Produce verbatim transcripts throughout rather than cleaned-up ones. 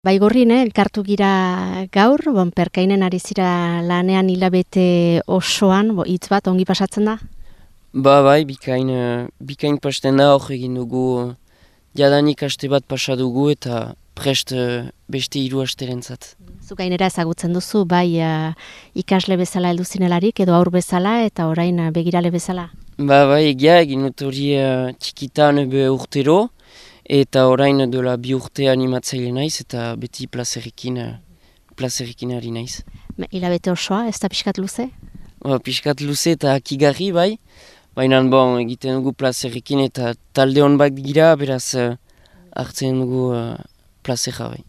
Baigorrin, eh, elkartu gira gaur, bon, perkainen ari zira lanean hilabete osoan, bo, hitz bat ongi pasatzen da? Ba bai, bikain, uh, bikain pasten da hor egin dugu uh, jadanik aste bat pasa dugu eta prest uh, beste hiru asterentzat. Zu gainera ezagutzen duzu, bai uh, ikasle bezala heldu zinelarik edo aur bezala eta orain uh, begirale bezala? Ba bai, egia egin dut hori uh, txikitan be urtero eta orain dola bi urte animatzaile naiz eta beti plazerekin, uh, plazerekin ari naiz. Me- Hilabete osoa, ez da pixkat luze? Ba, piskat luze eta akigarri bai, baina bon, egiten dugu plazerekin eta talde hon bat gira, beraz uh, hartzen dugu uh, plazera bai.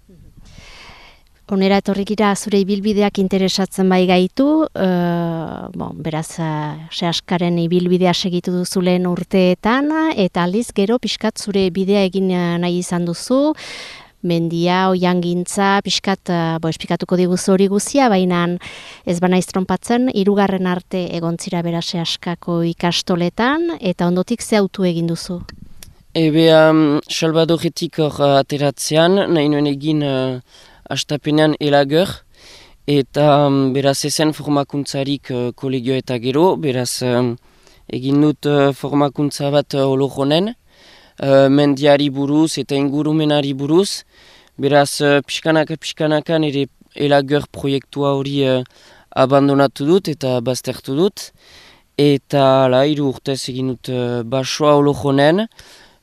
Onera etorri gira zure ibilbideak interesatzen bai gaitu, uh, bon, beraz uh, sehaskaren ibilbidea segitu duzu lehen urteetan, eta aldiz gero pixkat zure bidea egin uh, nahi izan duzu, mendia, oiangintza, pixkat, uh, bo, esplikatuko diguzu hori guzia, baina ez banaiz trompatzen, hirugarren arte egontzira bera sehaskako ikastoletan, eta ondotik ze autu egin duzu? Ebe, um, Salvadoretik hor uh, ateratzean, nahi nuen egin uh, astapenean elager, eta um, beraz ezen formakuntzarik uh, kolegio eta gero, beraz um, egin dut uh, formakuntza bat uh, olojonen, uh, mendiari buruz eta ingurumenari buruz, beraz uh, pixkanaka pixkanakan ere elager proiektua hori uh, abandonatu dut eta baztertu dut, eta la, hiru urtez egin dut uh, basoa olojonen,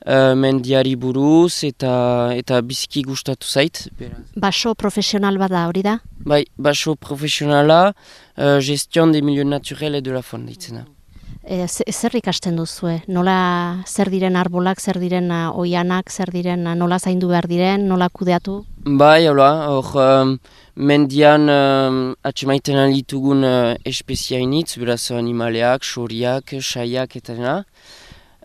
Uh, mendiari buruz eta eta biziki gustatu zait. Beraz. Baso profesional bada hori da? Bai, baso profesionala, uh, gestion des milieux naturels et de la faune ditzen da. E, ze- zer ikasten duzue? Nola zer diren arbolak, zer diren uh, oianak, zer diren uh, nola zaindu behar diren, nola kudeatu? Bai, hola, hor um, mendian um, atxemaiten alitugun uh, espeziainitz, beraz animaleak, xoriak, saiak eta dena.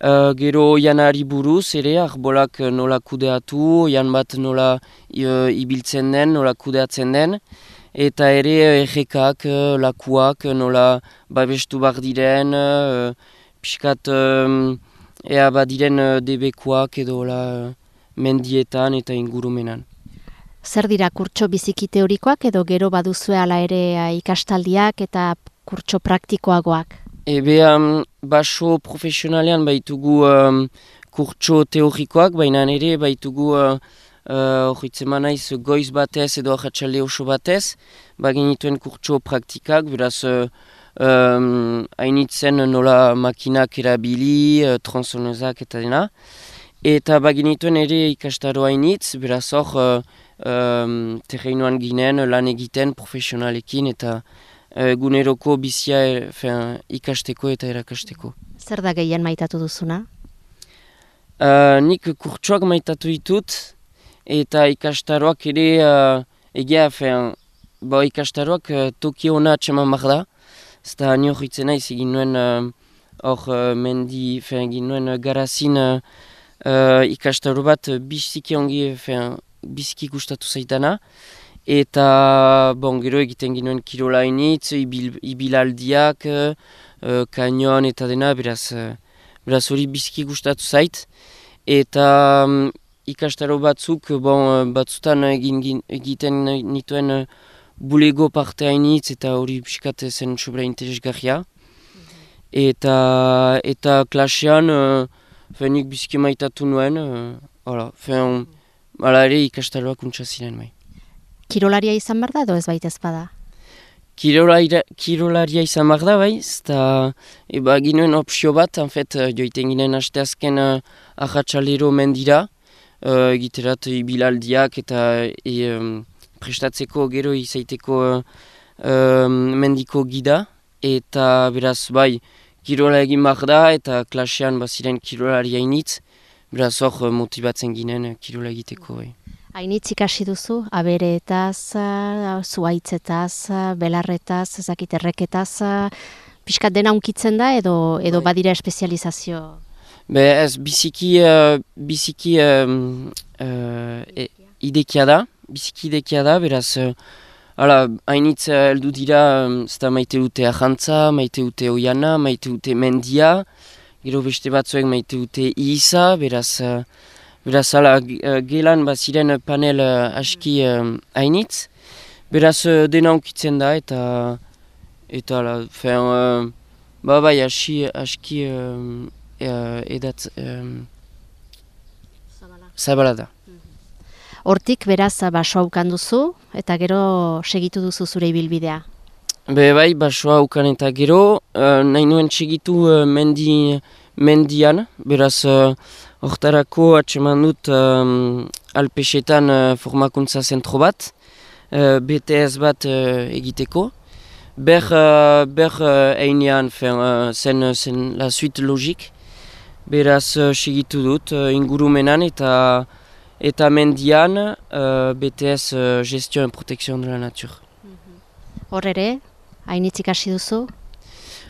Uh, gero oianari buruz ere, arbolak uh, nola kudeatu, oian bat nola uh, ibiltzen den, nola kudeatzen den, eta ere uh, errekak, uh, lakuak, uh, nola babestu bar diren, uh, pixkat um, ea badiren uh, debekuak edo la, uh, mendietan eta ingurumenan. Zer dira kurtso biziki teorikoak edo gero baduzue ala ere uh, ikastaldiak eta kurtso praktikoagoak? Ebe, um, baso profesionalean baitugu um, kurtso teorikoak, baina ere baitugu horitzen uh, uh, naiz goiz batez edo arratsalde oso batez, bagenituen kurtso praktikak, beraz uh, um, hainitzen nola makinak erabili, uh, tronzonezak eta dena. Eta bagenituen ere ikastaro hainitz, beraz hor uh, um, terreinoan ginen lan egiten profesionalekin eta eguneroko bizia e, fean, ikasteko eta erakasteko. Zer da gehien maitatu duzuna? Uh, nik kurtsoak maitatu ditut eta ikastaroak ere uh, egia fean, ba, ikastaroak uh, toki hona atseman behar da. Zta ni hor itzen naiz egin nuen uh, hor uh, mendi fean, egin nuen uh, garazin uh, uh, ikastaro bat uh, biziki ongi fean, biziki gustatu zaitana. Eta bon, gero egiten ginuen kirolainitz, ibil, ibilaldiak, uh, kanion eta dena, beraz, uh, beraz hori biziki gustatu zait. Eta um, ikastaro batzuk, bon, batzutan egin, egiten nituen uh, bulego parte hainitz eta hori pixkat zen sobra interesgarria. Mm-hmm. Eta, eta klasean, uh, fenik biziki maitatu nuen, uh, hala, fen, hala ere ikastaroak untsa ziren bai. Kirolaria izan behar da edo ez baita ezpada? Kirolaria, kirolaria izan behar da, bai, eta eba ginen opzio bat, anfet, joiten ginen asteazken uh, ahatsalero mendira, uh, egiterat ibilaldiak eta e, um, prestatzeko gero izaiteko uh, um, mendiko gida, eta beraz, bai, kirola egin behar da, eta klasean baziren kirolaria initz, beraz hor motibatzen ginen uh, kirola egiteko, bai. Hainitz ikasi duzu, abereetaz, zuaitzetaz, belarretaz, ezakit erreketaz, pixkat dena unkitzen da edo edo Bai. badira espezializazio? Be ez, biziki, uh, biziki um, uh, e, idekia da, biziki idekia da, beraz, uh, hala, hainitz heldu dira, um, zeta maite dute ahantza, maite dute oiana, maite dute mendia, gero beste batzuek maite dute iza, beraz, uh, Beraz, ala, gelan baziren panel uh, aski um, hainitz. Beraz, uh, dena onkitzen da eta eta ala, fen, uh, ba bai, aski, aski um, uh, edat um, zabala da. Hortik beraz basoa ukan duzu eta gero segitu duzu zure ibilbidea. Be bai, basoa ukan eta gero, uh, nahi nuen segitu uh, mendi, mendian, beraz hortarako uh, atseman dut um, Alpesetan uh, formakuntza zentro bat, uh, B T S bat uh, egiteko. Ber, uh, ber uh, einean uh, zen, zen la suite logik, beraz uh, segitu dut uh, ingurumenan eta eta mendian uh, B T S uh, Gestion et Protection de la Nature. Hor ere, hainitz ikasi duzu?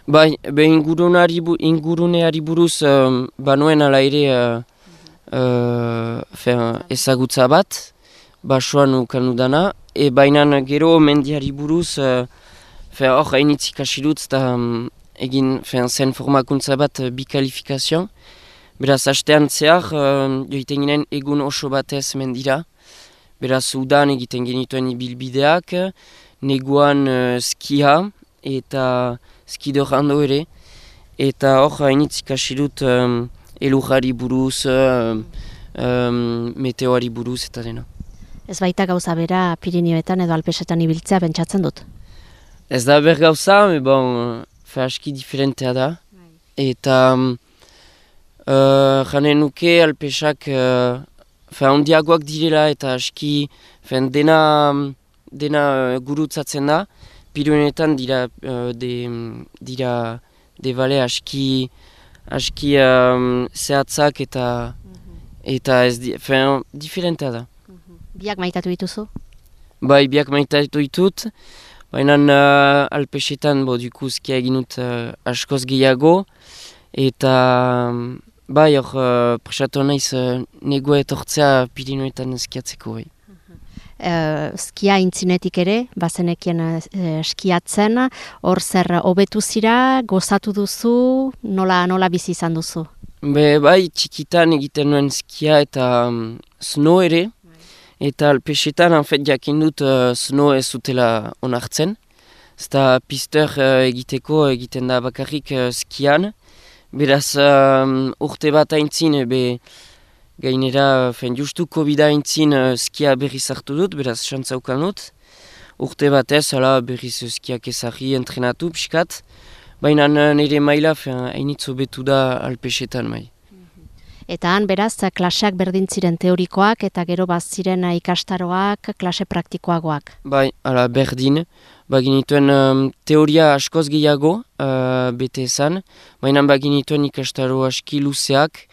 Bai, be inguruneari, inguruneari buruz um, banuen ala ere uh, uh, fin, ezagutza bat, basoan ukan dudana, e bainan gero mendiari buruz uh, hor hainitz ikasi dut eta um, egin fin, zen formakuntza bat uh, bikalifikazioan. Beraz, hastean zehar, uh, joiten ginen egun oso batez mendira. Beraz, udan egiten genituen ibilbideak, neguan uh, skia eta skidorrando ere. Eta hor hainitz ikasi dut um, elurrari buruz, um, um, meteoari buruz eta dena. Ez baita gauza bera Pirinioetan edo Alpesetan ibiltzea pentsatzen dut? Ez da ber gauza, me bon, fe aski diferentea da. Eta Uh, janen nuke Alpesak uh, handiagoak direla eta aski fen, dena, dena uh, gurutzatzen da. Pirinioetan dira, uh, de, dira de bale aski, aski um, zehatzak eta, eta ez di, fen, diferentea da. Biak maitatu dituzu? Bai, biak maitatu ditut. Baina uh, Alpesetan bo, duku skia egin dut uh, askoz gehiago. Eta bai, hor uh, presatu naiz uh, negua etortzea Pirinioetan skiatzeko. Bai. Uh, skia intzinetik ere, bazenekien uh, skiatzen, hor zer hobetu zira, gozatu duzu, nola, nola bizi izan duzu? Be, bai, txikitan egiten nuen skia eta um, snow ere, eta Alpesetan anfet jakin dut uh, snow ez zutela onartzen. Zta pister uh, egiteko egiten da bakarrik uh, skian. Beraz, um, urte bat aintzin, be, gainera, fen, justu COVID aintzin uh, skia berriz hartu dut, beraz, xantzaukan dut. Urte batez, ala, berriz skiak ezagri entrenatu, pixkat. Baina nire maila, hainitzo betu da Alpesetan mai. Eta han, beraz, klaseak berdin ziren teorikoak eta gero bat ziren ikastaroak, klase praktikoagoak. Bai, ala, berdin. Baginituen um, teoria askoz gehiago, uh, bete esan, baina baginituen ikastaro aski luzeak,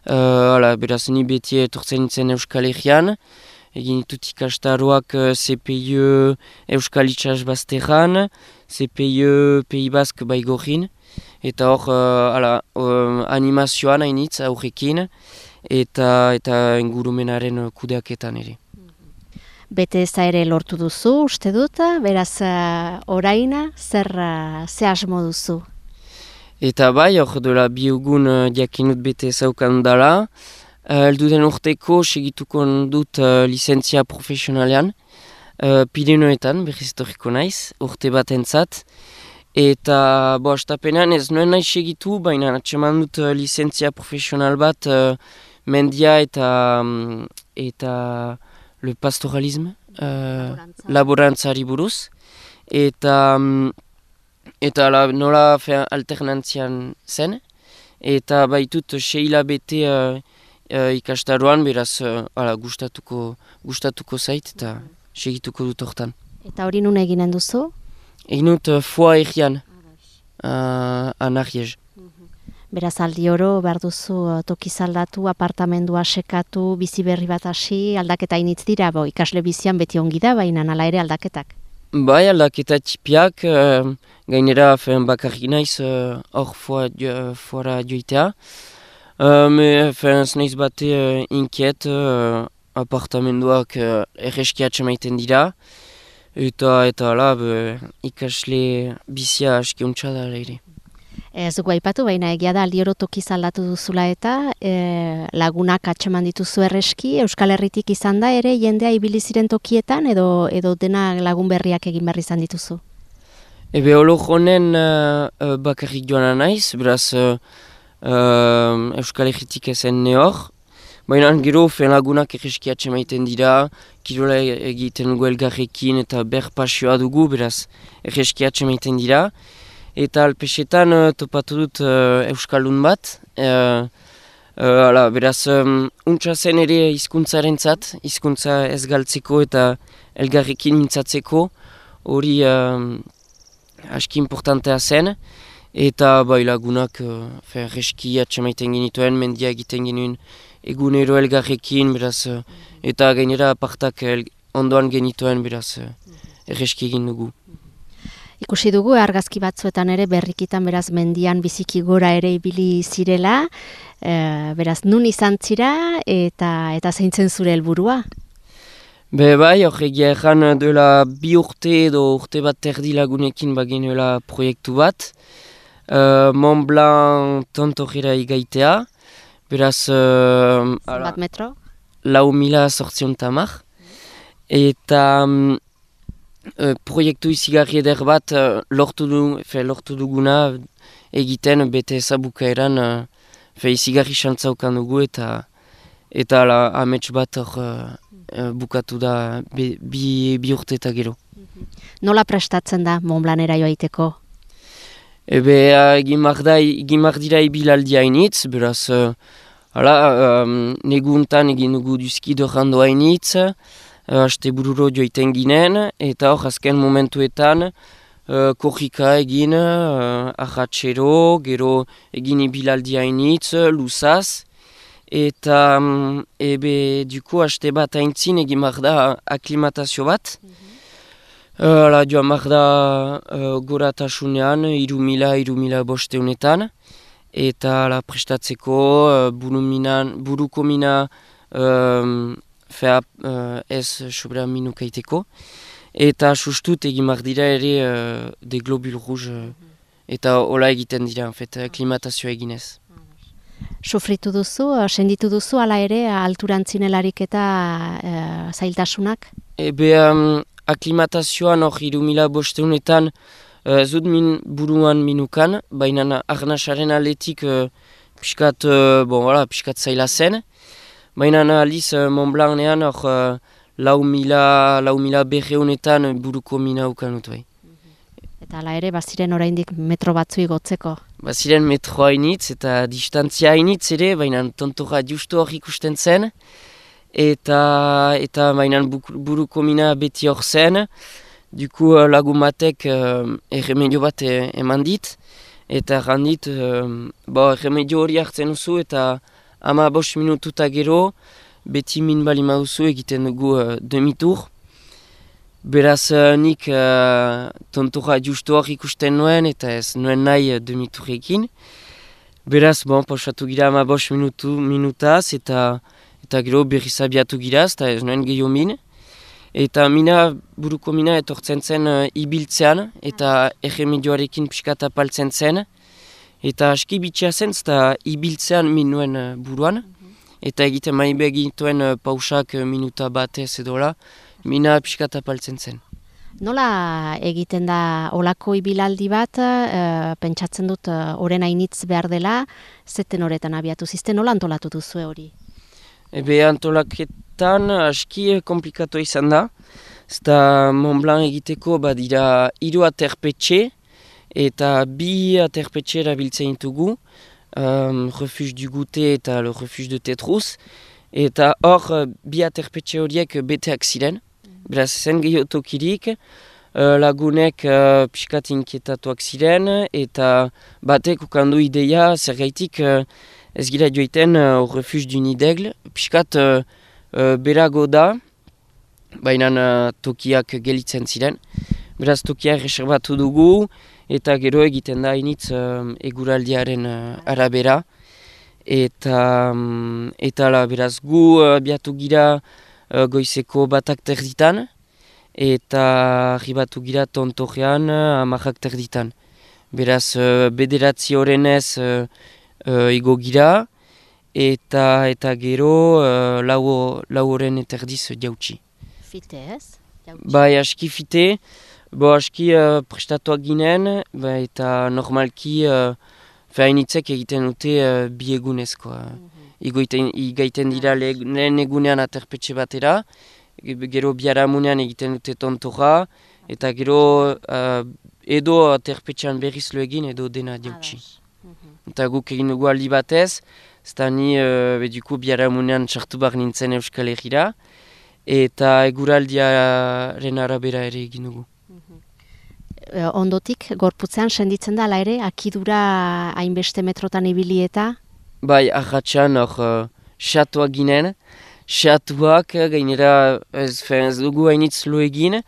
uh, ala, beraz ni beti etortzen nintzen Euskal Herrian, egin ditut ikastaroak uh, C P I E Euskal Itxas Bazterran, C P I E Pays Basque Baigorrin, eta hor uh, ala, um, animazioan hainitz aurrekin, eta, eta ingurumenaren kudeaketan ere. Bete eza ere lortu duzu, uste dut, beraz uh, oraina, zer uh, ze asmo duzu? Eta bai, hor dola biogun uh, diakinut bete ezaukan dala. Uh, Elduden urteko segituko dut uh, lizentzia profesionalean, uh, Pirinioetan, berriz etorriko naiz, urte bat entzat. Eta, bo, astapenean ez nuen nahi segitu, baina atseman dut uh, lizentzia profesional bat uh, mendia eta, um, eta le pastoralisme, uh, laborantzari buruz, eta, um, eta la, nola alternantzian zen, eta baitut seila bete uh, uh, ikastaroan, beraz uh, ala, gustatuko, gustatuko zait eta segituko dut hortan. Eta hori nun eginen duzu? Egin dut uh, foa egian, uh, anarriez. Beraz aldi oro behar duzu tokiz aldatu, apartamendua sekatu, bizi berri bat hasi, aldaketa initz dira, bo, ikasle bizian beti ongi da, baina hala ere aldaketak. Bai, aldaketa txipiak, uh, gainera fen, bakarrik naiz hor uh, foa, uh, foara joitea. Uh, me, fen, znaiz bate uh, inkiet, uh, apartamenduak uh, erreskiatxe maiten dira, eta eta ala, be, ikasle bizia aski untsa da ere. Ez dugu aipatu, baina egia da aldioro tokiz aldatu duzula eta e, lagunak atxeman dituzu erreski, Euskal Herritik izan da ere jendea ibili ziren tokietan edo edo dena lagun berriak egin behar izan dituzu? Ebe olo honen uh, uh, bakarrik joan naiz, beraz uh, uh, Euskal Herritik ezen nehor. Baina gero fen lagunak erreski atxemaiten dira, kirola egiten dugu elgarrekin eta ber pasioa dugu, beraz erreski atxemaiten dira. Eta alpesetan uh, topatu dut uh, Euskaldun bat. Uh, uh, ala, beraz, um, untsa zen ere hizkuntzaren zat, hizkuntza ez galtzeko eta elgarrekin mintzatzeko. Hori uh, aski importantea zen. Eta bai lagunak uh, reski atxemaiten genituen, mendia egiten genuen egunero elgarrekin, beraz, uh, eta gainera apartak el, ondoan genituen, beraz, uh, erreski egin dugu. Ikusi dugu argazki batzuetan ere berrikitan beraz mendian biziki gora ere ibili zirela, e, beraz nun izan zira eta eta zeintzen zure helburua? Be bai, horregia erran duela bi urte edo urte bat terdi lagunekin bagenuela proiektu bat. Uh, Mont Blanc tontorrera igaitea, beraz... Uh, Zenbat metro? Lau mila sortzion tamar. Eta... Um, Uh, proiektu izigarri eder bat uh, lortu, du, fe, lortu duguna egiten bete ezabukaeran uh, izigarri xantzaukan dugu eta eta la, amets bat hor uh, uh, bukatu da be, bi, bi urte eta gero. Nola prestatzen da Mont Blancera joaiteko? Ebe uh, gimar dira ibilaldi hainitz, beraz uh, hala, um, neguntan egin dugu duzki dorrando hainitz, Aste bururo joiten ginen, eta hor azken momentuetan uh, korrika egin, uh, ahatxero, gero egin ibilaldi hainitz, luzaz, eta um, ebe duko aste bat haintzin egin marda aklimatazio bat. Mm-hmm. uh, ala joan marda uh, goratasunean, iru mila, iru mila bosteunetan, eta la prestatzeko uh, buruminan, buruko mina um, Fea uh, ez sobera minukaiteko. Eta sustut egin mar dira ere uh, de globule rouge uh, eta hola egiten dira, en fet, klimatazioa eginez. Sufritu duzu, senditu duzu, ala ere, alturantzin-elarik eta uh, zailtasunak? Ebe um, aklimatazioan hor iru mila bosteunetan uh, zut min buruan minukan, baina arnasaren aletik uh, piskat, uh, bon, voilà, piskat zaila zen. Baina aliz uh, Mont Blancean hor uh, lau mila, lau mila berreunetan buruko mina ukanut bai. Eta hala ere, baziren oraindik metro batzu igotzeko? Baziren metro hainitz eta distantzia hainitz ere, baina tontora justu hor ikusten zen. Eta, eta baina buruko mina beti hor zen. Duku uh, lagun batek uh, erremedio bat e, eman dit. Eta errandit, uh, bo, erremedio hori hartzen duzu eta ama bost minututa gero, beti min bali maduzu egiten dugu uh, demitur. Beraz uh, nik uh, tontora justu hor ikusten nuen eta ez nuen nahi uh, demiturekin. Beraz, bon, pausatu gira ama bost minutu, minutaz eta, eta gero berriz abiatu giraz eta ez nuen gehiago min. Eta mina, buruko mina etortzen zen uh, ibiltzean eta erremedioarekin pixkat apaltzen zen. Eta aski bitxea zen, eta ibiltzean min nuen uh, buruan. Mm-hmm. Eta egiten maibe egituen uh, pausak uh, minuta batez edola, mina pixkat apaltzen zen. Nola egiten da olako ibilaldi bat, uh, pentsatzen dut uh, oren hainitz behar dela, zeten horretan abiatu zizten, nola antolatu duzu hori? Ebe antolaketan aski komplikatu izan da. Zta Mont Blanc egiteko badira hiru aterpetxe, eta bi aterpetxe erabiltzen ditugu, um, Refuge du Goûter eta le Refuge de Tétrousse, eta hor bi aterpetxe horiek beteak ziren, beraz zen gehiago tokirik, uh, lagunek uh, pixkat inkietatuak ziren, eta batek ukandu ideia zergaitik uh, ez gira joiten uh, Refuge du Nid d'Aigle, pixkat uh, uh, berago da, baina uh, tokiak gelitzen ziren, beraz tokiak reserbatu dugu, eta gero egiten da hainitz uh, eguraldiaren uh, arabera. Eta, um, eta la, beraz gu uh, biatu gira uh, goizeko batak terditan, eta arribatu gira tontorrean uh, amarrak terditan. beraz uh, bederatzi horrenez uh, uh, igo gira, eta eta gero uh, lau, lau horren eta erdiz jautsi. Fite ez? Jautsi. Bai, aski fite, bo aski uh, prestatuak ginen, ba, eta normalki uh, hainitzek egiten dute uh, bi egunezko. Mm -hmm. Igaiten dira lehen egunean aterpetxe batera, gero biharamunean egiten dute tontora, eta gero uh, edo aterpetxean berriz lo egin edo dena jautsi. Mm -hmm. Eta guk egin dugu aldi batez, zeta ni uh, beduko biharamunean sartu bar nintzen Euskal Herrira, eta eguraldiaren arabera ere egin dugu. Ondotik, gorputzean senditzen da, ala ere, akidura hainbeste metrotan ibili eta? Bai, ahatxan hor uh, xatuak ginen, xatuak gainera ez, ez dugu hainitz lo egin,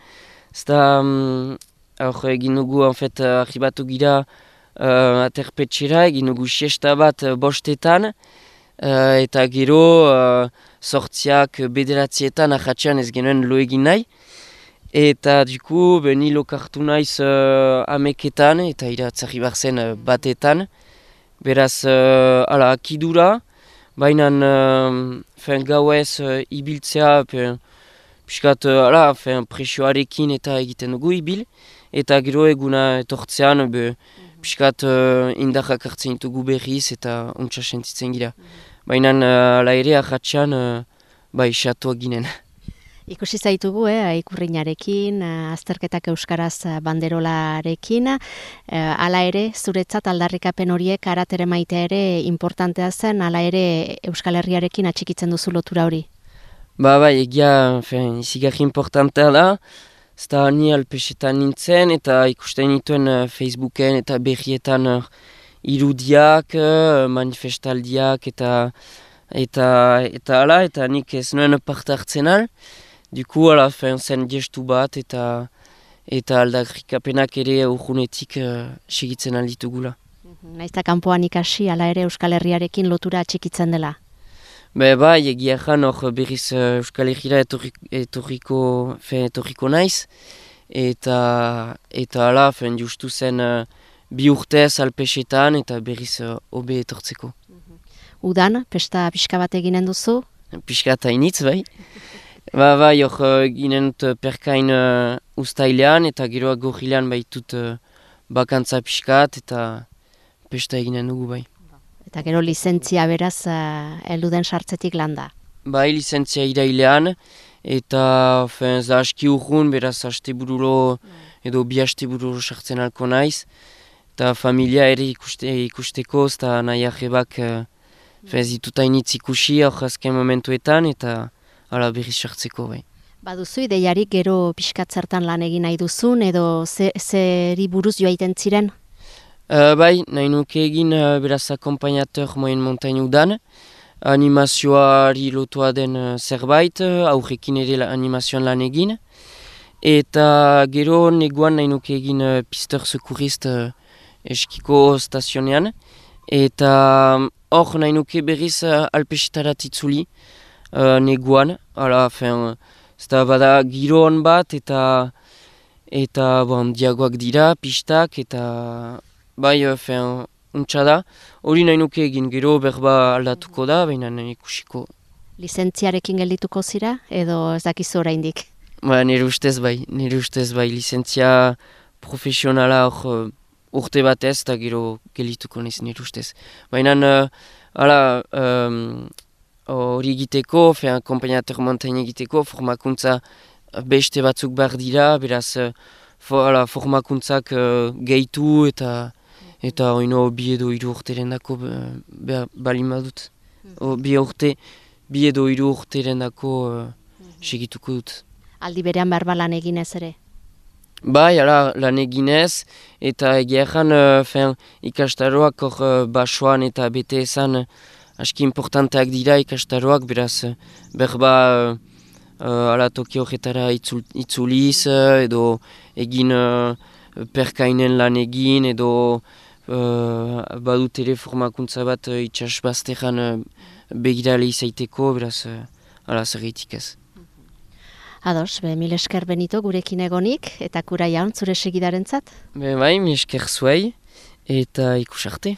zta um, hor egin dugu, en fet, arribatu gira uh, aterpetxera, egin dugu siesta bat uh, bostetan, uh, eta gero uh, sortziak bederatzietan ahatxan ez genuen lo egin nahi. Eta duku, ni lokartu naiz uh, ameketan eta iratzarri bar zen uh, batetan. Beraz, uh, ala, akidura, baina uh, gauez uh, ibiltzea, piskat, uh, ala, presioarekin eta egiten dugu ibil. Eta gero eguna etortzean, be, piskat uh, indarrak hartzen ditugu berriz eta ontsa sentitzen gira. Baina, uh, ala ere, ahatxan, uh, bai, xatuak ginen. Ikusi zaitugu, eh, ikurrinarekin, azterketak euskaraz banderolarekin, eh, ala ere, zuretzat aldarrikapen horiek aratere maitea ere importantea zen, ala ere Euskal Herriarekin atxikitzen duzu lotura hori? Ba, bai, egia, izigarri importantea da, zta ni alpesetan nintzen, eta ikusten nituen uh, Facebooken eta berrietan uh, irudiak, uh, manifestaldiak, eta eta eta ala, eta nik ez nuen parte hartzen al. Duku, ala, zen gestu bat, eta eta aldarrikapenak ere urgunetik uh, segitzen alditugula. Naizta kanpoan ikasi, ala ere Euskal Herriarekin lotura atxikitzen dela? Be, bai, egia jan hor berriz uh, Euskal Herriera etorriko, etorriko naiz, eta eta ala, fen justu zen uh, bi urtez alpesetan, eta berriz uh, obe etortzeko. Udan, pesta pixka bat eginen duzu? Pixka eta initz, bai. Ba, bai, hor ginen dut perkain uh, ustailean, eta geroa gorrilean baitut uh, bakantza pixkat, eta pesta eginen dugu, bai. Eta gero lizentzia beraz, uh, eluden sartzetik landa? Bai, lizentzia irailean, eta fen, za aski urgun, beraz haste bururo, edo bi haste bururo sartzen alko naiz, eta familia ere ikuste, ikusteko, eta nahi arrebak uh, ez dituta initz ikusi hor azken momentuetan, eta ala berriz sartzeko, bai. Baduzu ideiarik gero pixkat zertan lan egin nahi duzun, edo ze, zeri buruz joaiten ziren? Uh, bai, nahi nuke egin uh, beraz akompainateur moyen montagne udan, animazioari lotua den uh, zerbait, uh, aurrekin ere la animazioan lan egin, eta gero neguan nahi nuke egin uh, pister sekurist uh, eskiko stazionean, eta hor nahi nuke berriz uh, alpesitarat itzuli uh, neguan, ala, fen, zeta bada giroan bat, eta eta bon, diagoak dira, pistak, eta bai, fen, untsa da, hori nahi nuke egin gero berba aldatuko da, baina nahi ikusiko. Lizentziarekin geldituko zira, edo ez dakizu oraindik? Ba, nire ustez bai, nire ustez bai, lizentzia profesionala hor urte batez, eta gero geldituko naiz nire ustez. Baina, uh, ala, hori um, egiteko, fean, kompainateur montagne egiteko, formakuntza beste batzuk behar dira, beraz, uh, for, ala, formakuntzak uh, gehitu, eta eta oino bi edo hiru urteren dako uh, balin badut. O, bi urte, bi edo hiru urteren dako uh, segituko dut. Aldi berean behar lan eginez ere? Bai, ala, lan eginez, eta egia ezan uh, ikastaroak hor uh, basoan eta bete ezan uh, aski importanteak dira ikastaroak, beraz uh, berba uh, uh, ala toki horretara itzul, itzuliz, uh, edo egin uh, perkainen lan egin, edo uh, badut ere formakuntza bat uh, itxas bazteran uh, begirale izaiteko, beraz uh, ala zerreitik ez. Ados, be, mil esker Benito gurekin egonik, eta kura jaun zure segidarentzat? Be bai, mil esker zuei, eta ikus arte.